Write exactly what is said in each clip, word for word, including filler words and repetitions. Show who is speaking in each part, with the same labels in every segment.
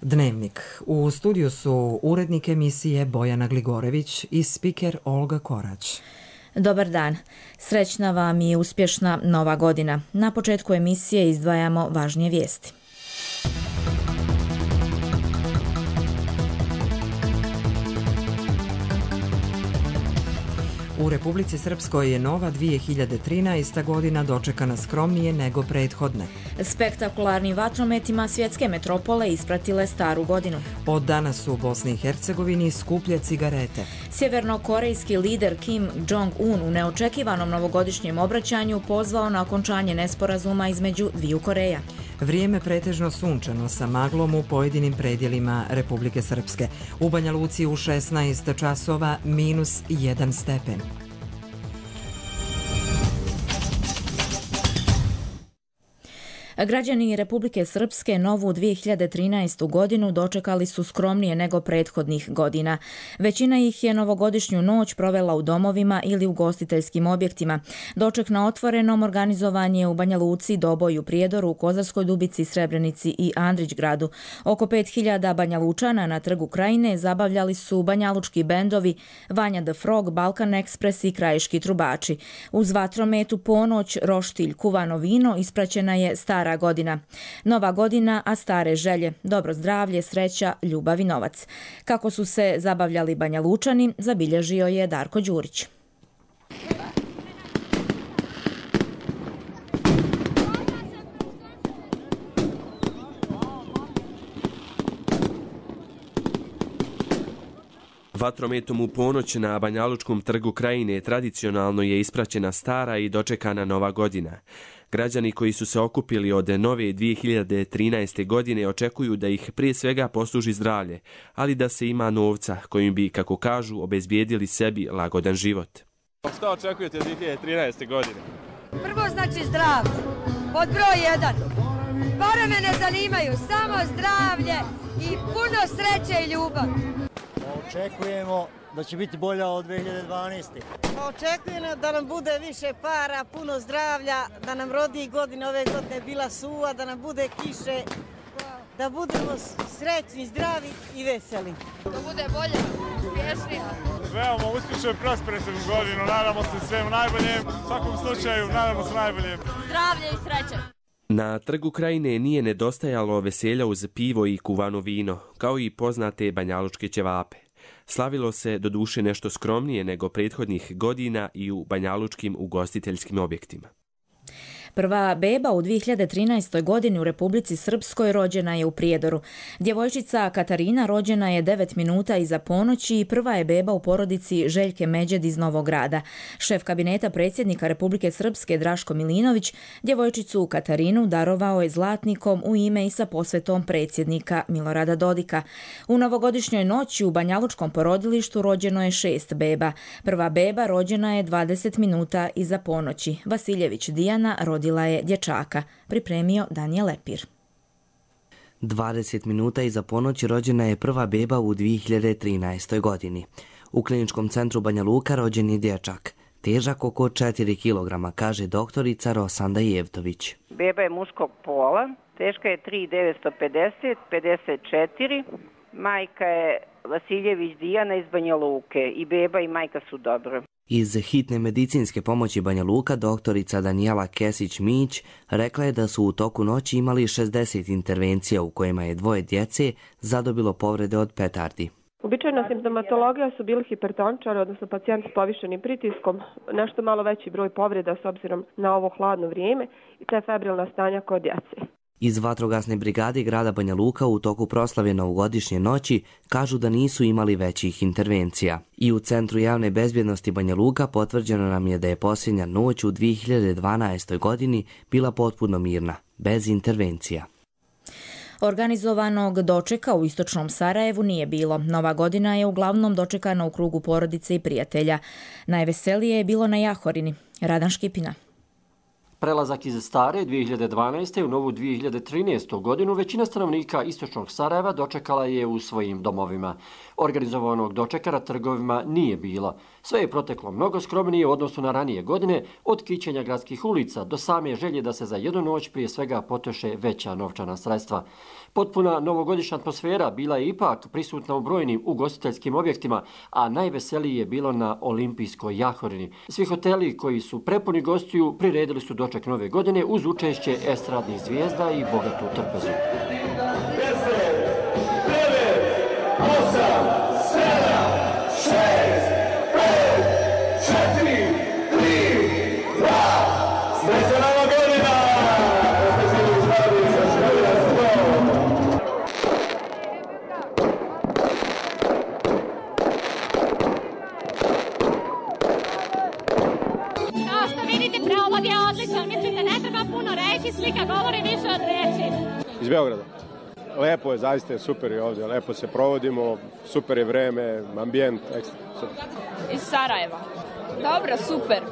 Speaker 1: Dnevnik. U studiju su urednik emisije Bojana Gligorević i spiker Olga Korać.
Speaker 2: Dobar dan. Srećna vam i uspješna nova godina. Na početku emisije izdvajamo važnije vijesti.
Speaker 1: U Republici Srpskoj je nova dvije hiljade trinaesta godina dočekana skromnije nego prethodne.
Speaker 2: Spektakularnim vatrometima svjetske metropole ispratile staru godinu.
Speaker 1: Od danas su u Bosni i Hercegovini skuplje cigarete.
Speaker 2: Sjevernokorejski lider Kim Jong-un u neočekivanom novogodišnjem obraćanju pozvao na okončanje nesporazuma između dviju Koreja.
Speaker 1: Vrijeme pretežno sunčano sa maglom u pojedinim predjelima Republike Srpske. U Banja Luci u šesnaest časova minus jedan stepen.
Speaker 2: Građani Republike Srpske novu dvije hiljade trinaestu godinu dočekali su skromnije nego prethodnih godina. Većina ih je novogodišnju noć provela u domovima ili u ugostiteljskim objektima. Doček na otvorenom organizovan je u Banja Luci, Doboju, Prijedoru, Kozarskoj Dubici, Srebrenici i Andrićgradu. Oko pet hiljada Banja Lučana na Trgu Krajine zabavljali su banjalučki bendovi Vanja the Frog, Balkan Express i Krajiški trubači. Uz vatrometu ponoć, roštilj, kuvano vino ispraćena je stara godina. Nova godina, a stare želje, dobro zdravlje, sreća, ljubav i novac. Kako su se zabavljali Banja Lučani, zabilježio je Darko Đurić.
Speaker 3: Vatrometom u ponoć na Banjalučkom trgu Krajine tradicionalno je ispraćena stara i dočekana nova godina. Građani koji su se okupili od nove dvije hiljade trinaeste. godine očekuju da ih prije svega posluži zdravlje, ali da se ima novca kojim bi, kako kažu, obezbijedili sebi lagodan život.
Speaker 4: Šta očekujete dvije hiljade trinaeste. godine?
Speaker 5: Prvo znači zdravlje, pod broj jedan. Pare me ne zanimaju, samo zdravlje i puno sreće i ljubav.
Speaker 6: Očekujemo da će biti bolja od dvije hiljade dvanaeste.
Speaker 7: Očekujemo da nam bude više para, puno zdravlja, da nam rodnijih godina ove godine bila suva, da nam bude kiše, da budemo srećni, zdravi i veseli.
Speaker 5: Da bude bolje, uspješnija.
Speaker 4: Želimo uspješnu i prospernu godinu, nadamo se svemu najboljem, u svakom slučaju nadamo se najboljem.
Speaker 5: Zdravlje i sreće.
Speaker 3: Na Trgu Krajine nije nedostajalo veselja uz pivo i kuvano vino, kao i poznate banjalučke ćevape. Slavilo se doduše nešto skromnije nego prethodnih godina i u banjalučkim ugostiteljskim objektima.
Speaker 2: Prva beba u dvije hiljade trinaestoj. godini u Republici Srpskoj rođena je u Prijedoru. Djevojčica Katarina rođena je devet minuta iza ponoći i prva je beba u porodici Željke Međed iz Novog Grada. Šef kabineta predsjednika Republike Srpske Draško Milinović djevojčicu Katarinu darovao je zlatnikom u ime i sa posvetom predsjednika Milorada Dodika. U novogodišnjoj noći u banjalučkom porodilištu rođeno je šest beba. Prva beba rođena je dvadeset minuta iza ponoći. Vasiljević Dijana rodila je dječaka, pripremio Danijel Lepir.
Speaker 8: dvadeset minuta iza ponoći rođena je prva beba u dvije hiljade trinaestoj. godini. U kliničkom centru Banja Luka rođen je dječak, težak oko četiri kilograma, kaže doktorica Rosanda Jevtović.
Speaker 9: Beba je muškog pola, teška je tri hiljade devetsto pedeset, pedeset četiri, majka je Vasiljević Dijana iz Banja Luke i beba i majka su dobro.
Speaker 8: Iz hitne medicinske pomoći Banja Luka doktorica Danijela Kesić-Mić rekla je da su u toku noći imali šezdeset intervencija u kojima je dvoje djece zadobilo povrede od petardi.
Speaker 10: Uobičajena simptomatologija su bili hipertoničari, odnosno pacijenti s povišenim pritiskom, nešto malo veći broj povreda s obzirom na ovo hladno vrijeme i te febrilna stanja kod djece.
Speaker 8: Iz vatrogasne brigade grada Banja Luka u toku proslave novogodišnje noći kažu da nisu imali većih intervencija. I u Centru javne bezbjednosti Banja Luka potvrđeno nam je da je posljednja noć u dvije hiljade dvanaestoj. godini bila potpuno mirna, bez intervencija.
Speaker 2: Organizovanog dočeka u istočnom Sarajevu nije bilo. Nova godina je uglavnom dočekana u krugu porodice i prijatelja. Najveselije je bilo na Jahorini. Radan Škipina.
Speaker 11: Prelazak iz stare dvije hiljade dvanaeste. u novu dvije hiljade trinaestu. godinu većina stanovnika istočnog Sarajeva dočekala je u svojim domovima. Organizovanog dočeka na trgovima nije bilo. Sve je proteklo mnogo skromnije u odnosu na ranije godine, od kićenja gradskih ulica do same želje da se za jednu noć prije svega potroše veća novčana sredstva. Potpuna novogodišnja atmosfera bila je ipak prisutna u brojnim ugostiteljskim objektima, a najveselije je bilo na Olimpijskoj jahorini. Svi hoteli koji su prepuni gostiju priredili su doček nove godine uz učešće estradnih zvijezda i bogatu trpezu.
Speaker 12: Slika govori više od reči.
Speaker 13: Iz Beograda. Lepo je, zaista je super je ovdje, lepo se provodimo, super je vreme, ambijent, ekstra, super.
Speaker 12: Iz Sarajeva. Dobro, super.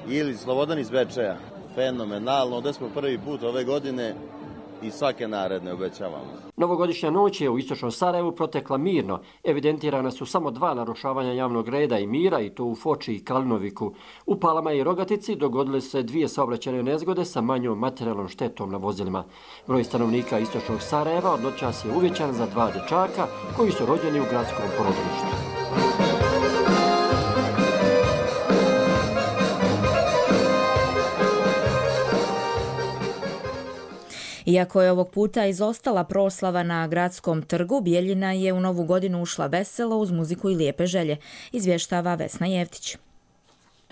Speaker 14: Ili Slobodan iz Bečeja. Fenomenalno, ovdje smo prvi put ove godine i svake naredne obećavamo.
Speaker 11: Novogodišnja noć je u istočnom Sarajevu protekla mirno. Evidentirana su samo dva narušavanja javnog reda i mira, i to u Foči i Kalinoviku. U Palama i Rogatici dogodile se dvije saobraćajne nezgode sa manjom materijalnom štetom na vozilima. Broj stanovnika istočnog Sarajeva od noćas je uvećan za dva dječaka koji su rođeni u gradskom porodilištu.
Speaker 2: Iako je ovog puta izostala proslava na gradskom trgu, Bijeljina je u novu godinu ušla veselo uz muziku i lijepe želje, izvještava Vesna Jevtić.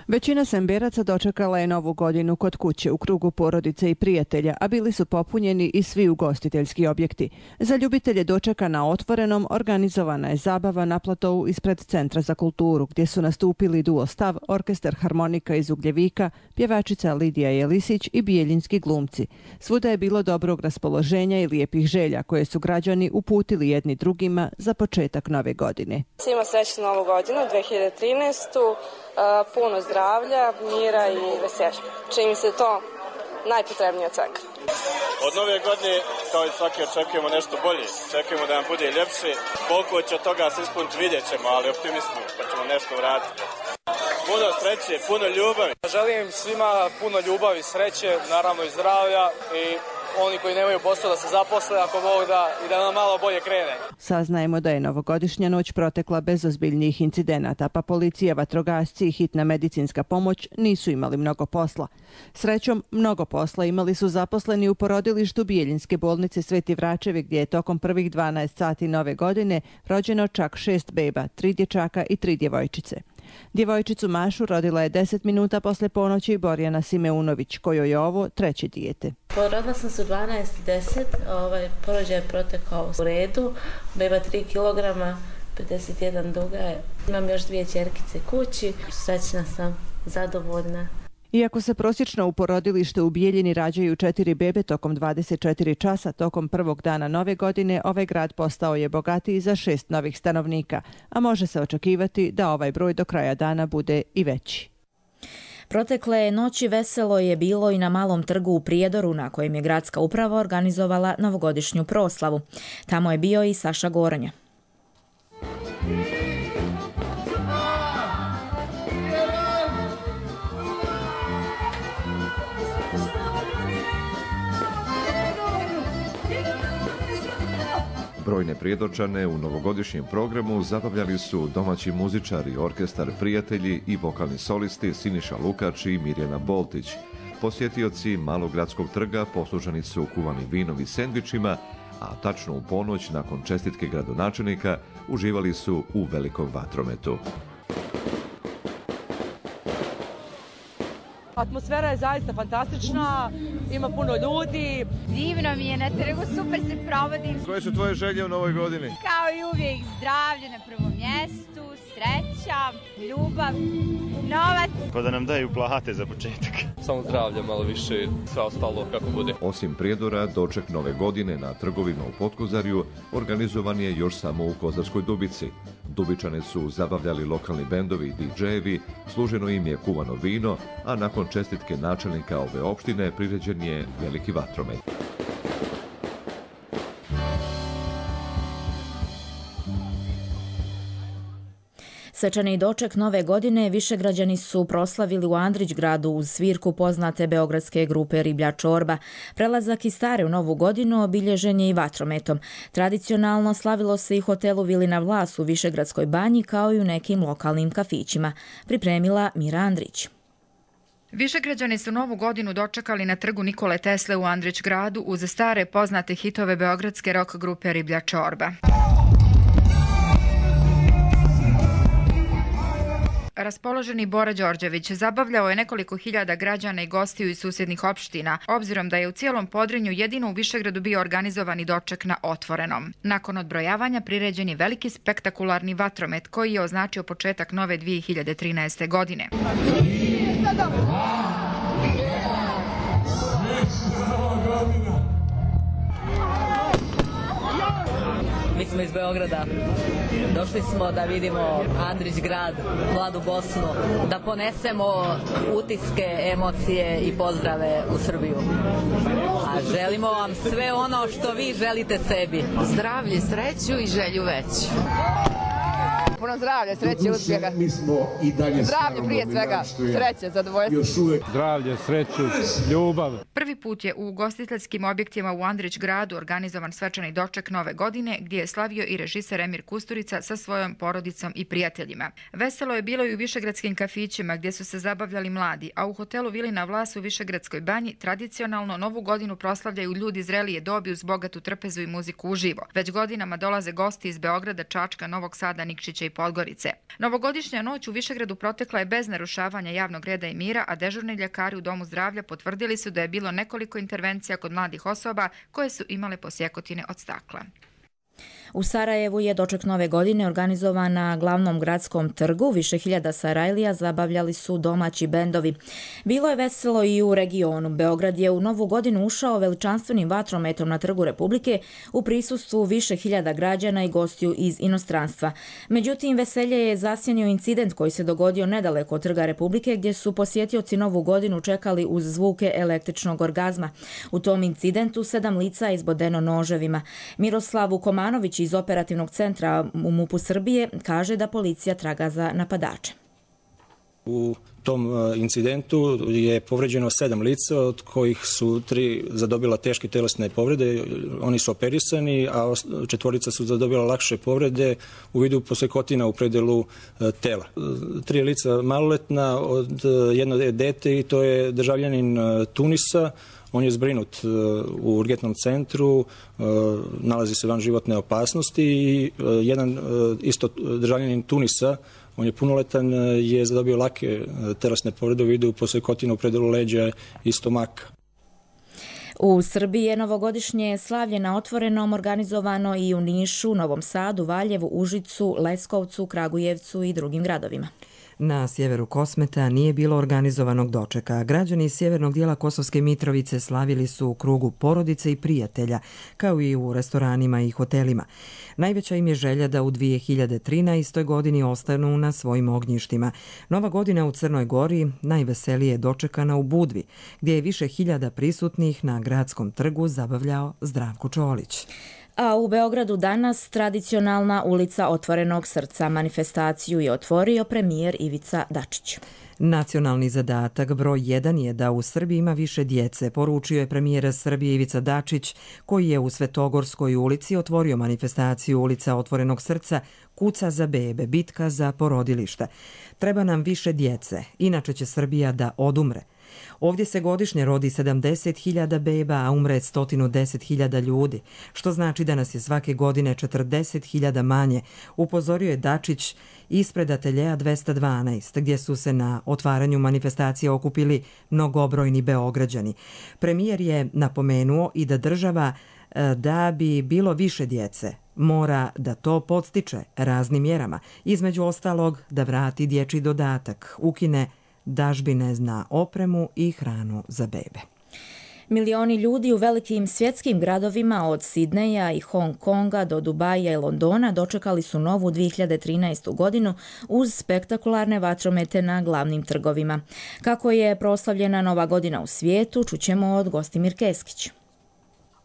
Speaker 15: Većina Semberaca dočekala je novu godinu kod kuće u krugu porodice i prijatelja, a bili su popunjeni i svi ugostiteljski objekti. Za ljubitelje dočeka na otvorenom organizovana je zabava na platovu ispred Centra za kulturu, gdje su nastupili duo Stav, orkestar harmonika iz Ugljevika, pjevačica Lidija Jelisić i bijeljinski glumci. Svuda je bilo dobrog raspoloženja i lijepih želja koje su građani uputili jedni drugima za početak nove godine.
Speaker 16: Svima srećnu novu godinu, dve hiljade trinaestu. Puno zdravlja, mira i veselja. Čini mi se to najpotrebnije od svega.
Speaker 17: Od nove godine, kao i svake, očekujemo nešto bolje. Očekujemo da nam bude ljepše. Koliko će od toga se ispuniti vidjet ćemo, ali optimismo, pa ćemo nešto uraditi. Puno sreće, puno ljubavi.
Speaker 18: Želim svima puno ljubavi, sreće, naravno i zdravlja, i oni koji nemaju posao da se zaposle ako Bog da, i da nam malo bolje krene.
Speaker 15: Saznajemo da je novogodišnja noć protekla bez ozbiljnijih incidenata, pa policija, vatrogasci i hitna medicinska pomoć nisu imali mnogo posla. Srećom, mnogo posla imali su zaposleni u porodilištu Bijeljinske bolnice Sveti Vračevi, gdje je tokom prvih dvanaest sati nove godine rođeno čak šest beba, tri dječaka i tri djevojčice. Djevojčicu Mašu rodila je deset minuta posle ponoći Borjana Simeunović, kojoj je ovo treće dijete.
Speaker 19: Porodila sam se u dvanaest deset, ovaj, porođaj je protekao u redu, beba tri kilograma, pedeset jedan duga je. Imam još dvije ćerkice kući, srećna sam, zadovoljna.
Speaker 15: Iako se prosječno u porodilište u Bijeljini rađaju četiri bebe tokom dvadeset četiri časa, tokom prvog dana nove godine, ovaj grad postao je bogatiji za šest novih stanovnika, a može se očekivati da ovaj broj do kraja dana bude i veći.
Speaker 2: Protekle noći veselo je bilo i na Malom trgu u Prijedoru, na kojem je gradska uprava organizovala novogodišnju proslavu. Tamo je bio i Saša Goronja.
Speaker 20: Brojne Prijedorčane u novogodišnjem programu zabavljali su domaći muzičari, orkestar Prijatelji i vokalni solisti Siniša Lukač i Mirjana Boltić. Posjetioci Malog gradskog trga posluženi su kuvanim vinom i sendvičima, a tačno u ponoć nakon čestitke gradonačelnika uživali su u velikom vatrometu.
Speaker 21: Atmosfera je zaista fantastična, ima puno ljudi.
Speaker 22: Divno mi je na trgu, super se provodim.
Speaker 20: Koje su tvoje želje u novoj godini?
Speaker 22: Kao i uvijek, zdravlje na prvom mjestu, sreća, ljubav, novac.
Speaker 23: Pa da nam daju plate za početak.
Speaker 24: Samo zdravlje, malo više, sve ostalo kako bude.
Speaker 20: Osim Prijedora, doček nove godine na trgovima u Potkozarju organizovan je još samo u Kozarskoj Dubici. Dubičane su zabavljali lokalni bendovi i didžejevi, služeno im je kuvano vino, a nakon čestitke načelnika ove opštine priređen je veliki vatromet.
Speaker 2: Svečani doček nove godine Višegrađani su proslavili u Andrićgradu uz svirku poznate beogradske grupe Riblja čorba. Prelazak iz stare u novu godinu obilježen je i vatrometom. Tradicionalno slavilo se i hotelu Vilina Vlas u Višegradskoj banji kao i u nekim lokalnim kafićima. Pripremila Mira Andrić.
Speaker 1: Višegrađani su novu godinu dočekali na trgu Nikole Tesle u Andrićgradu uz stare poznate hitove beogradske rock grupe Riblja čorba. Raspoloženi Bora Đorđević zabavljao je nekoliko hiljada građana i gostiju iz susjednih opština, obzirom da je u cijelom Podrinju jedino u Višegradu bio organizovani doček na otvorenom. Nakon odbrojavanja priređen je veliki spektakularni vatromet koji je označio početak nove dvije hiljade trinaeste. godine.
Speaker 4: Mi smo iz Beograda. Došli smo da vidimo Andrićgrad, mladu Bosnu, da ponesemo utiske, emocije i pozdrave u Srbiju. A želimo vam sve ono što vi želite sebi.
Speaker 6: Zdravlje, sreću i želju veću.
Speaker 7: Puno zdravlja, sreće, uspjeha. Zdravlje prije svega, sreće, zadovoljstvo.
Speaker 25: Zdravlje, sreću, ljubav.
Speaker 1: Prvi put je u ugostiteljskim objektima u Andrićgradu organizovan svečani doček nove godine gdje je slavio i režiser Emir Kusturica sa svojom porodicom i prijateljima. Veselo je bilo i u višegradskim kafićima gdje su se zabavljali mladi, a u hotelu Vilina Vlas u Višegradskoj banji tradicionalno novu godinu proslavljaju ljudi zrelije dobi uz bogatu trpezu i muziku uživo. Već godinama dolaze gosti iz Beograda, Čačka, Novog Sada, Nikšića i Podgorice. Novogodišnja noć u Višegradu protekla je bez narušavanja javnog reda i mira, a dežurni ljekari u Domu zdravlja potvrdili su da je bilo nekoliko intervencija kod mladih osoba koje su imale posjekotine od stakla.
Speaker 2: U Sarajevu je doček nove godine organizovan na glavnom gradskom trgu. Više hiljada Sarajlija zabavljali su domaći bendovi. Bilo je veselo i u regionu. Beograd je u novu godinu ušao veličanstvenim vatrometom na trgu Republike u prisustvu više hiljada građana i gostiju iz inostranstva. Međutim, veselje je zasjenio incident koji se dogodio nedaleko od trga Republike gdje su posjetioci novu godinu čekali uz zvuke električnog orgazma. U tom incidentu sedam lica je izbodeno noževima. Miroslav Vukomanović iz operativnog centra u MUP-u Srbije kaže da policija traga za napadače.
Speaker 26: U tom incidentu je povređeno sedam lica, od kojih su tri zadobila teške telesne povrede. Oni su operisani, a četvorica su zadobila lakše povrede u vidu posjekotina u predelu tela. Tri lica maloletna, od jedno je dete i to je državljanin Tunisa. On je zbrinut u urgentnom centru, nalazi se van životne opasnosti i jedan isto državljanin Tunisa, on je punoletan, je zadobio lake telesne povrede u vidu posjekotina u predelu leđa i stomaka.
Speaker 2: U Srbiji je novogodišnje slavlje na otvorenom organizovano i u Nišu, Novom Sadu, Valjevu, Užicu, Leskovcu, Kragujevcu i drugim gradovima.
Speaker 27: Na sjeveru Kosmeta nije bilo organizovanog dočeka. Građani iz sjevernog dijela Kosovske Mitrovice slavili su u krugu porodice i prijatelja, kao i u restoranima i hotelima. Najveća im je želja da u dvije hiljade trinaestoj. godini ostanu na svojim ognjištima. Nova godina u Crnoj Gori najveselije je dočekana u Budvi, gdje je više hiljada prisutnih na gradskom trgu zabavljao Zdravko Čolić.
Speaker 2: A u Beogradu danas tradicionalna ulica Otvorenog srca. Manifestaciju je otvorio premijer Ivica Dačić.
Speaker 27: Nacionalni zadatak broj jedan je da u Srbiji ima više djece, poručio je premijer Srbije Ivica Dačić, koji je u Svetogorskoj ulici otvorio manifestaciju Ulica Otvorenog srca, kuca za bebe, bitka za porodilišta. Treba nam više djece, inače će Srbija da odumre. Ovdje se godišnje rodi sedamdeset hiljada beba, a umre sto deset hiljada ljudi, što znači da nas je svake godine četrdeset hiljada manje, upozorio je Dačić ispred ateljeja dvesta dvanaest, gdje su se na otvaranju manifestacije okupili mnogobrojni Beograđani. Premijer je napomenuo i da država, da bi bilo više djece, mora da to podstiče raznim mjerama, između ostalog da vrati dječji dodatak, ukine dažbine na opremu i hranu za bebe.
Speaker 2: Milioni ljudi u velikim svjetskim gradovima od Sidneja i Hong Konga do Dubaja i Londona dočekali su novu dvije hiljade trinaestu. godinu uz spektakularne vatromete na glavnim trgovima. Kako je proslavljena nova godina u svijetu, čućemo od Gostimir Keskić.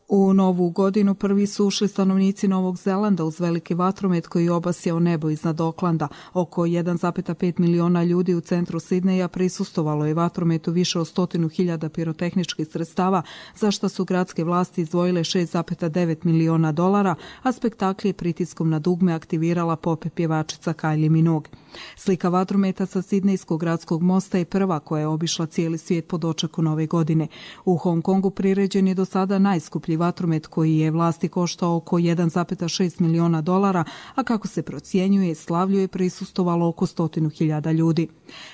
Speaker 3: U novu godinu prvi su ušli stanovnici Novog Zelanda uz veliki vatromet koji je obasjao nebo iznad Oklanda. Oko jedan zarez pet miliona ljudi u centru Sidneja prisustvovalo je vatrometu više od stotinu hiljada pirotehničkih sredstava, za što su gradske vlasti izdvojile šest zarez devet miliona dolara, a spektakl je pritiskom na dugme aktivirala pop pjevačica Kylie Minogue. Slika vatrometa sa Sidnejskog gradskog mosta je prva koja je obišla cijeli svijet po dočeku nove godine. U Hong Kongu priređen je do sada najskuplji vatromet koji je vlasti koštao oko jedan zarez šest miliona dolara, a kako se procjenjuje, slavlju je prisustovalo oko stotinu hiljada ljudi.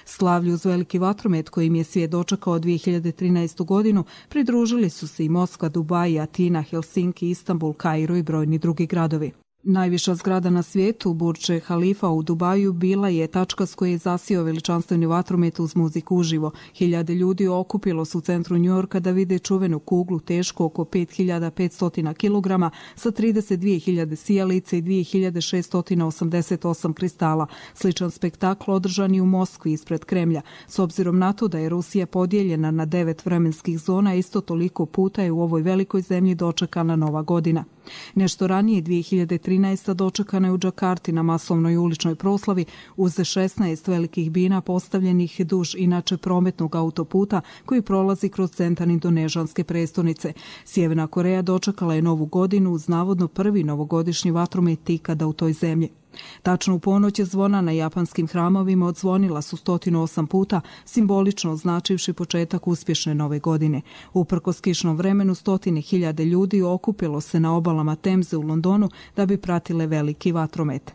Speaker 3: Slavlju uz veliki vatromet kojim je svijet dočekao dvije hiljade trinaestu godinu pridružili su se i Moskva, Dubaj, Atina, Helsinki, Istanbul, Kairo i brojni drugi gradovi. Najviša zgrada na svijetu, Burj Khalifa u Dubaju, bila je tačka s koje je zasio veličanstveni vatromet uz muziku uživo. Hiljade ljudi okupilo su u centru Njujorka da vide čuvenu kuglu tešku oko pet hiljada petsto kilograma sa trideset dvije hiljade sijalica i dvije hiljade šeststo osamdeset osam kristala. Sličan spektakl održan i u Moskvi ispred Kremlja. S obzirom na to da je Rusija podijeljena na devet vremenskih zona, isto toliko puta je u ovoj velikoj zemlji dočekana nova godina. Nešto ranije, dvije hiljade trinaeste. dočekana je u Džakarti na masovnoj uličnoj proslavi uz šesnaest velikih bina postavljenih duž inače prometnog autoputa koji prolazi kroz centar indonežanske prestonice. Sjeverna Koreja dočekala je novu godinu uz navodno prvi novogodišnji vatromet ikada u toj zemlji. Tačno u ponoć je zvona na japanskim hramovima odzvonila su sto osam puta, simbolično označivši početak uspješne nove godine. Uprkos kišnom vremenu, stotine hiljade ljudi okupilo se na obalama Temze u Londonu da bi pratile veliki vatromet.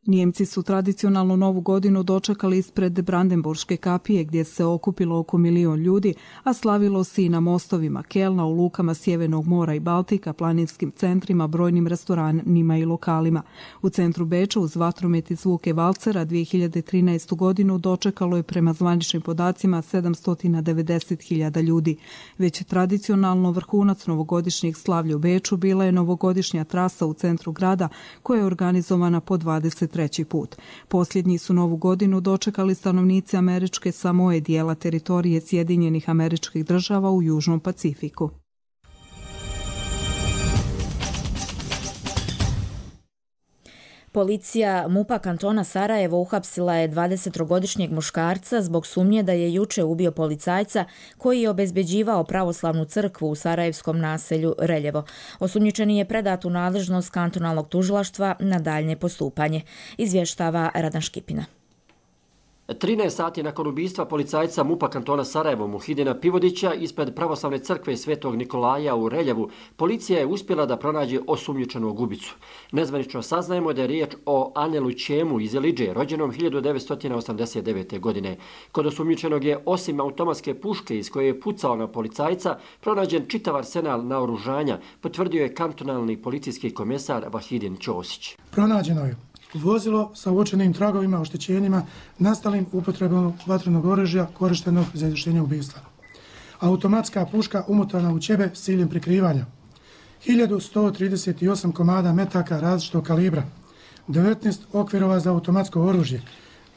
Speaker 3: Nijemci su tradicionalnu novu godinu dočekali ispred Brandenburške kapije gdje se okupilo oko milion ljudi, a slavilo se i na mostovima Kelna, u lukama Sjevernog mora i Baltika, planinskim centrima, brojnim restoranima i lokalima. U centru Beča uz vatromet i zvuke valcera dvije hiljade trinaestu. godinu dočekalo je prema zvaničnim podacima sedamsto devedeset hiljada ljudi. Već tradicionalno vrhunac novogodišnjeg slavlja u Beču bila je novogodišnja trasa u centru grada koja je organizovana po dvadeset treći put. Posljednji su novu godinu dočekali stanovnici američke Samoe, dijela teritorije Sjedinjenih Američkih Država u Južnom Pacifiku.
Speaker 2: Policija MUP-a kantona Sarajevo uhapsila je dvadesetogodišnjeg muškarca zbog sumnje da je juče ubio policajca koji je obezbeđivao pravoslavnu crkvu u sarajevskom naselju Reljevo. Osumnjičeni je predat u nadležnost kantonalnog tužilaštva na daljnje postupanje, izvještava Radan Škipina.
Speaker 11: trinaest sati nakon ubistva policajca MUP-a kantona Sarajevo Muhidina Pivodića ispred pravoslavne crkve Svetog Nikolaja u Reljevu, policija je uspjela da pronađe osumnjičenog ubicu. Nezvanično saznajemo da je riječ o Anelu Ćemu iz Elidže, rođenom hiljadu devetsto osamdeset devete. godine. Kod osumnjičenog je osim automatske puške iz koje je pucao na policajca, pronađen čitav arsenal naoružanja, potvrdio je kantonalni policijski komesar Vahidin Ćosić.
Speaker 5: Pronađeno je vozilo sa uočenim tragovima, oštećenjima, nastalim upotrebom vatrenog oružja korištenog za izvršenje ubistva. Automatska puška umotana u ćebe s ciljem prikrivanja. hiljadu sto trideset osam komada metaka različitog kalibra, devetnaest okvirova za automatsko oružje,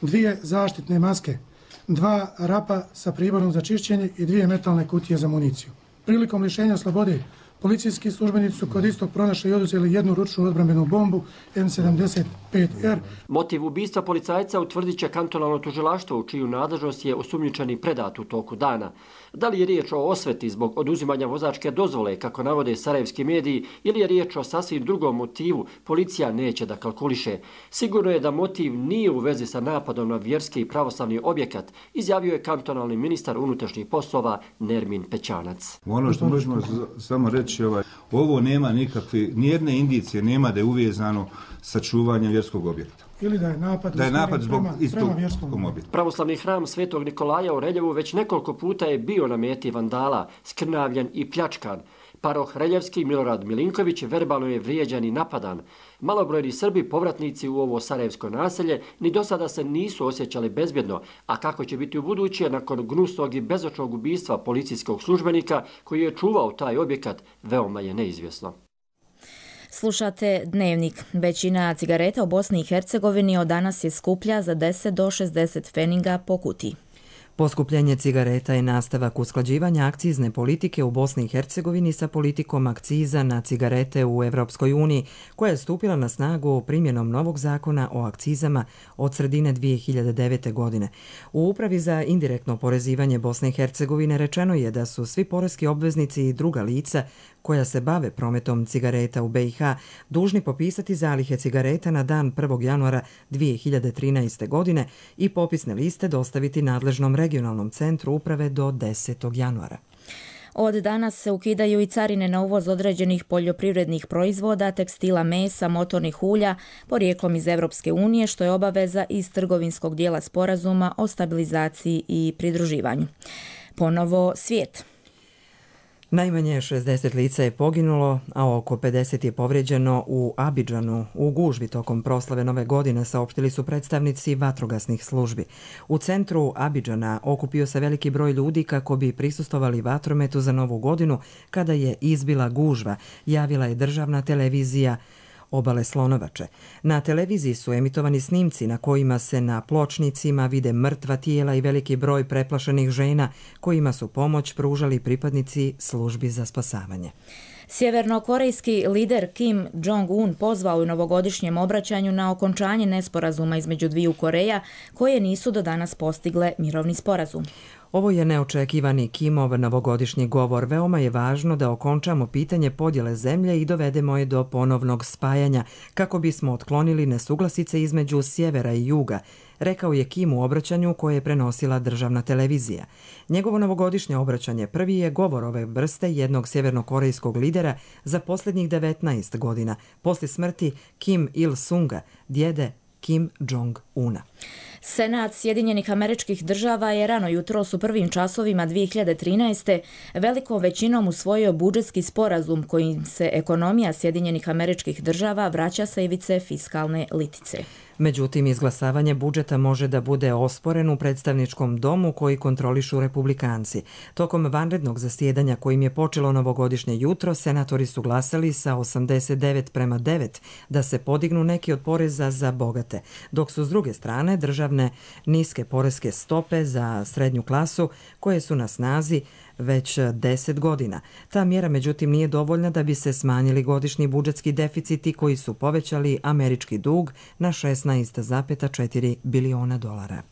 Speaker 5: dvije zaštitne maske, dva rapa sa priborom za čišćenje i dvije metalne kutije za municiju. Prilikom lišenja slobode, policijski službenici su kod istog pronašli i oduzeli jednu ručnu odbrambenu bombu M sedamdeset pet R.
Speaker 11: Motiv ubistva policajca utvrdit će kantonalno tužilaštvo u čiju nadležnost je osumnjičeni predat u toku dana. Da li je riječ o osveti zbog oduzimanja vozačke dozvole, kako navode sarajevski mediji, ili je riječ o sasvim drugom motivu, policija neće da kalkuliše. Sigurno je da motiv nije u vezi sa napadom na vjerski i pravoslavni objekat, izjavio je kantonalni ministar unutrašnjih poslova Nermin Pećanac.
Speaker 8: Ono što možemo samo reći, ovaj, ovo nema nikakve, nijedne indicije nema da je uvezano sa čuvanjem vjerskog objekta.
Speaker 5: Ili da je napad,
Speaker 8: da je napad zbog
Speaker 5: prema,
Speaker 8: istog
Speaker 5: prema vjerskom
Speaker 8: objekta.
Speaker 11: Pravoslavni hram Svetog Nikolaja u Reljevu već nekoliko puta je bio na meti vandala, skrnavljen i pljačkan. Paroh Reljevski Milorad Milinković verbalno je vrijeđan i napadan. Malobrojni Srbi, povratnici u ovo sarajevsko naselje, ni do sada se nisu osjećali bezbjedno, a kako će biti u buduće nakon gnusnog i bezočnog ubistva policijskog službenika koji je čuvao taj objekat, veoma je neizvjesno.
Speaker 2: Slušate Dnevnik. Većina cigareta u Bosni i Hercegovini od danas je skuplja za deset do šezdeset pfeniga po kutiji.
Speaker 27: Poskupljenje cigareta je nastavak usklađivanja akcizne politike u Bosni i Hercegovini sa politikom akciza na cigarete u Evropskoj uniji, koja je stupila na snagu primjenom novog zakona o akcizama od sredine dvije hiljade devete. godine. U Upravi za indirektno oporezivanje Bosne i Hercegovine rečeno je da su svi poreski obveznici i druga lica koja se bave prometom cigareta u be i ha dužni popisati zalihe cigareta na dan prvog januara dvije hiljade trinaeste. godine i popisne liste dostaviti nadležnom regionalnom centru uprave do desetog januara.
Speaker 2: Od danas se ukidaju i carine na uvoz određenih poljoprivrednih proizvoda, tekstila, mesa, motornih ulja, porijeklom iz Evropske unije, što je obaveza iz trgovinskog dijela sporazuma o stabilizaciji i pridruživanju. Ponovo svijet.
Speaker 27: Najmanje šezdeset lica je poginulo, a oko pedeset je povrijeđeno u Abidžanu u gužvi tokom proslave Nove godine, saopštili su predstavnici vatrogasnih službi. U centru Abidžana okupio se veliki broj ljudi kako bi prisustvovali vatrometu za Novu godinu kada je izbila gužva, javila je državna televizija Obale Slonovače. Na televiziji su emitovani snimci na kojima se na pločnicima vide mrtva tijela i veliki broj preplašenih žena kojima su pomoć pružali pripadnici službi za spasavanje.
Speaker 2: Sjevernokorejski lider Kim Jong-un pozvao u novogodišnjem obraćanju na okončanje nesporazuma između dviju Koreja koje nisu do danas postigle mirovni sporazum.
Speaker 27: Ovo je neočekivani Kimov novogodišnji govor. Veoma je važno da okončamo pitanje podjele zemlje i dovedemo je do ponovnog spajanja kako bismo otklonili nesuglasice između sjevera i juga, rekao je Kim u obraćanju koje je prenosila državna televizija. Njegovo novogodišnje obraćanje prvi je govor ove vrste jednog sjevernokorejskog lidera za posljednjih devetnaest godina, poslije smrti Kim Il-sunga, djede Kim Jong-una.
Speaker 2: Senat Sjedinjenih Američkih Država je rano jutros u prvim časovima dvije hiljade trinaeste. velikom većinom usvojio budžetski sporazum kojim se ekonomija Sjedinjenih Američkih Država vraća sa ivice fiskalne litice.
Speaker 27: Međutim, izglasavanje budžeta može da bude osporen u predstavničkom domu koji kontrolišu republikanci. Tokom vanrednog zasjedanja kojim je počelo novogodišnje jutro, senatori su glasali sa osamdeset devet prema devet da se podignu neki od poreza za bogate, dok su s druge strane državne niske poreske stope za srednju klasu koje su na snazi već deset godina. Ta mjera međutim nije dovoljna da bi se smanjili godišnji budžetski deficiti koji su povećali američki dug na šesnaest zarez četiri biliona dolara.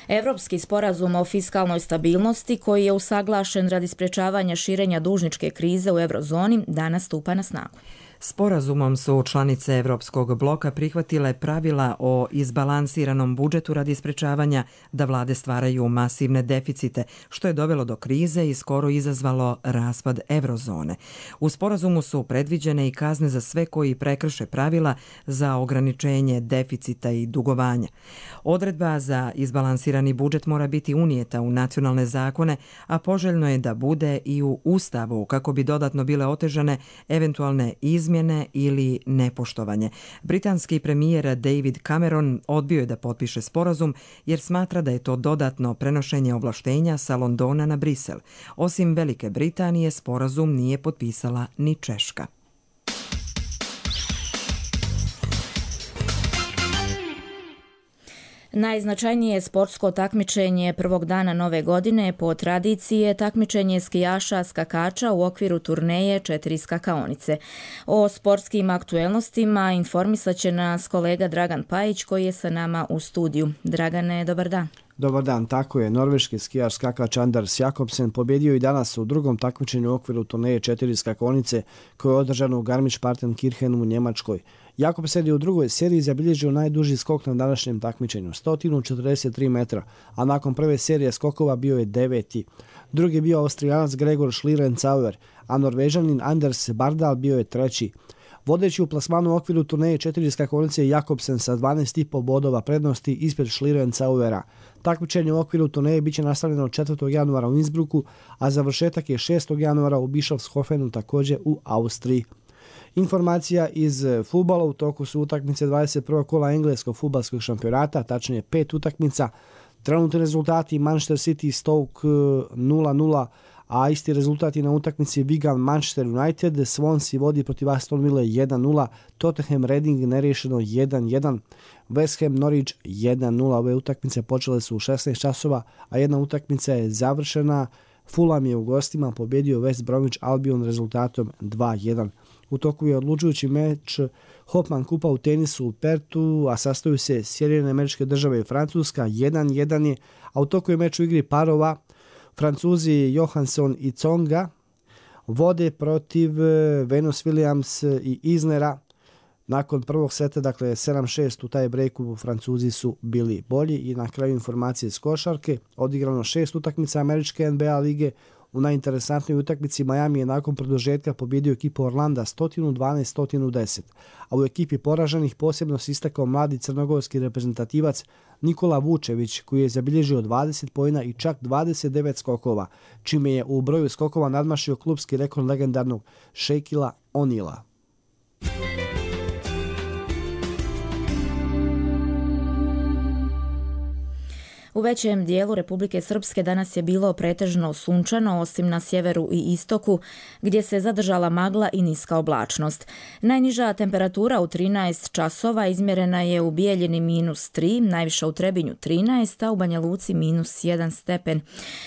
Speaker 2: Evropski sporazum o fiskalnoj stabilnosti koji je usaglašen radi sprječavanja širenja dužničke krize u eurozoni danas stupa na snagu.
Speaker 27: Sporazumom su članice Evropskog bloka prihvatile pravila o izbalansiranom budžetu radi sprečavanja da vlade stvaraju masivne deficite, što je dovelo do krize i skoro izazvalo raspad eurozone. U sporazumu su predviđene i kazne za sve koji prekrše pravila za ograničenje deficita i dugovanja. Odredba za izbalansirani budžet mora biti unijeta u nacionalne zakone, a poželjno je da bude i u Ustavu kako bi dodatno bile otežane eventualne izmjene ili nepoštovanje. Britanski premijer David Cameron odbio je da potpiše sporazum jer smatra da je to dodatno prenošenje ovlaštenja sa Londona na Brisel. Osim Velike Britanije, sporazum nije potpisala ni Češka.
Speaker 2: Najznačajnije sportsko takmičenje prvog dana Nove godine po tradiciji je takmičenje skijaša skakača u okviru turneje četiri skakaonice. O sportskim aktuelnostima informisat će nas kolega Dragan Pajić koji je sa nama u studiju. Dragane, dobar dan.
Speaker 9: Dobar dan, tako je. Norveški skijaš skakač Anders Jakobsen pobjedio i danas u drugom takmičenju u okviru turneje četiri skakonice koje je održano u Garmisch-Partenkirchenu u Njemačkoj. Jakobsen je u drugoj seriji zabilježio najduži skok na današnjem takmičenju, sto četrdeset tri metra, a nakon prve serije skokova bio je deveti. Drugi je bio Austrijanac Gregor Schlierencauer, a Norvežanin Anders Bardal bio je treći. Vodeći u plasmanu u okviru turneje četiri skakonice Jakobsen sa dvanaest zarez pet bodova prednosti ispred Schlierencauera. Takmičenje u okviru turneje biće nastavljeno četvrtog januara u Innsbrucku, a završetak je šestog januara u Bischofshofenu također u Austriji. Informacija iz fudbala: u toku su utakmice dvadeset prvog kola engleskog fudbalskog šampionata, tačnije pet utakmica. Trenutni rezultati: Manchester City Stoke nula nula, a isti rezultat je na utakmici Wigan Manchester United, Swansea vodi protiv Aston Ville jedan nula, Tottenham Reading nerješeno jedan jedan, West Ham Norwich jedan nula. Ove utakmice počele su u šesnaest časova, a jedna utakmica je završena. Fulham je u gostima pobjedio West Bromwich Albion rezultatom dva jedan. U toku je odlučujući meč Hopman kupa u tenisu u Pertu, a sastoju se Sjedinjene Američke Države i Francuska, jedan jedan je, a u toku je meč u igri parova. Francuzi Johansson i Tsonga vode protiv Venus Williams i Isnera. Nakon prvog seta, dakle sedam šest u taj breaku, Francuzi su bili bolji. I na kraju informacije iz košarke, odigrano šest utakmica američke N B A lige. U najinteresantnoj utakmici Miami je nakon produžetka pobjedio ekipu Orlanda sto dvanaest sto deset, a u ekipi poraženih posebno se istakao mladi crnogorski reprezentativac Nikola Vučević, koji je zabilježio dvadeset poena i čak dvadeset devet skokova, čime je u broju skokova nadmašio klubski rekord legendarnog Shaquilla O'Neala.
Speaker 2: U većem dijelu Republike Srpske danas je bilo pretežno sunčano, osim na sjeveru i istoku, gdje se zadržala magla i niska oblačnost. Najniža temperatura u trinaest časova izmjerena je u Bijeljini minus tri, najviša u Trebinju trinaest, a u Banja Luci minus jedan stepen.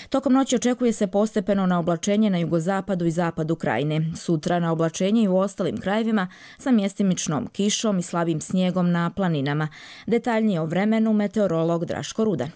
Speaker 2: Tokom noći očekuje se postepeno na oblačenje na jugozapadu i zapadu krajine. Sutra na oblačenje i u ostalim krajevima sa mjestimičnom kišom i slabim snijegom na planinama. Detaljnije o vremenu meteorolog Draško Rudan.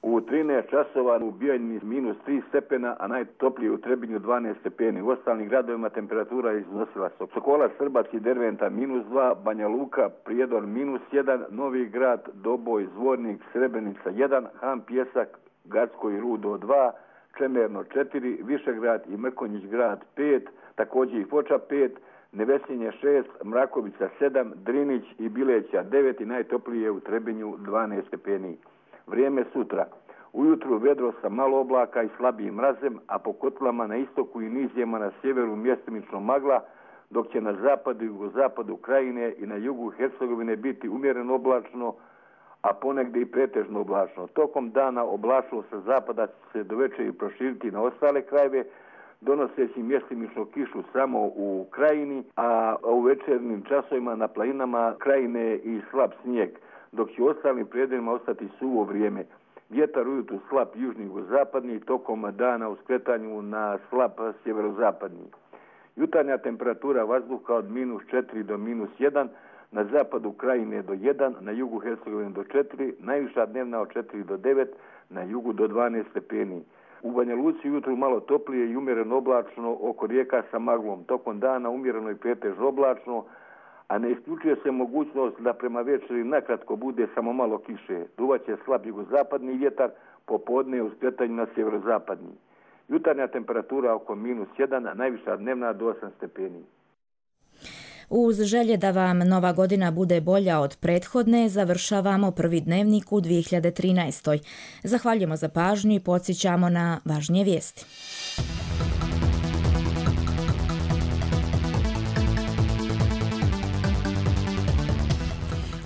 Speaker 10: U trinaest časova u Bijeljini minus tri stepena, a najtoplije u Trebinju dvanaest stepeni. U ostalim gradovima temperatura iznosila Sokola, Srbac i Derventa minus dva, Banja Luka, Prijedor minus jedan, Novi Grad, Doboj, Zvornik, Srebrenica jedan, Han Pjesak, Gacko i Rudo dva, Čemerno četiri, Višegrad i Mrkonjić grad pet, također i Foča pet, Nevesinje šest, Mrakovica sedam, Drinić i Bileća devet i najtoplije u Trebinju dvanaest stepeni. Vrijeme sutra. Ujutru vedro sa malo oblaka i slabijim mrazem, a po kotlama na istoku i nizijama na sjeveru mjestimično magla, dok će na zapadu i jugozapadu krajine i na jugu Hercegovine biti umjereno oblačno, a ponegdje i pretežno oblačno. Tokom dana oblačno sa zapada će se do večeri proširiti na ostale krajeve, donoseći mjestimično kišu samo u krajini, a u večernjim časovima na planinama krajine i slab snijeg, dok će u ostalim predjelima ostati suvo vrijeme. Vjetar ujutru slab južni jugozapadni, tokom dana u skretanju na slab sjeverozapadni. Jutarnja temperatura vazduha od minus četiri do minus jedan, na zapadu krajine do jedan, na jugu Hercegovine do četiri, najviša dnevna od četiri do devet, na jugu do dvanaest stepeni. U Banja Luci jutru malo toplije i umjereno oblačno oko rijeka sa maglom. Tokom dana umjereno i pretežno oblačno, a ne isključuje se mogućnost da prema večeri nakratko bude samo malo kiše. Duvaće slab jugozapadni vjetar, popodne u skretanju na sjeverozapadni. Jutarnja temperatura oko minus jedan, a najviša dnevna do osam stepeni.
Speaker 2: Uz želje da vam nova godina bude bolja od prethodne, završavamo prvi dnevnik u dvije hiljade trinaestoj. Zahvaljujemo za pažnju i podsjećamo na važnije vijesti.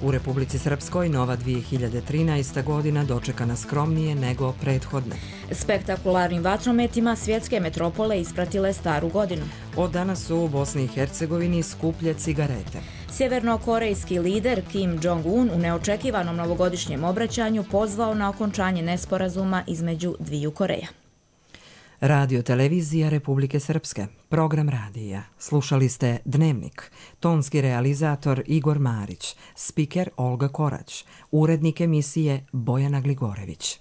Speaker 27: U Republici Srpskoj nova dvije hiljade trinaesta godina dočekana skromnije nego prethodne.
Speaker 2: Spektakularnim vatrometima svjetske metropole ispratile staru godinu.
Speaker 27: Od danas su u Bosni i Hercegovini skuplje cigarete.
Speaker 2: Sjevernokorejski lider Kim Jong-un u neočekivanom novogodišnjem obraćanju pozvao na okončanje nesporazuma između dviju Koreja.
Speaker 27: Radio Televizija Republike Srpske, program radija. Slušali ste Dnevnik, tonski realizator Igor Marić, spiker Olga Korać, urednik emisije Bojana Gligorević.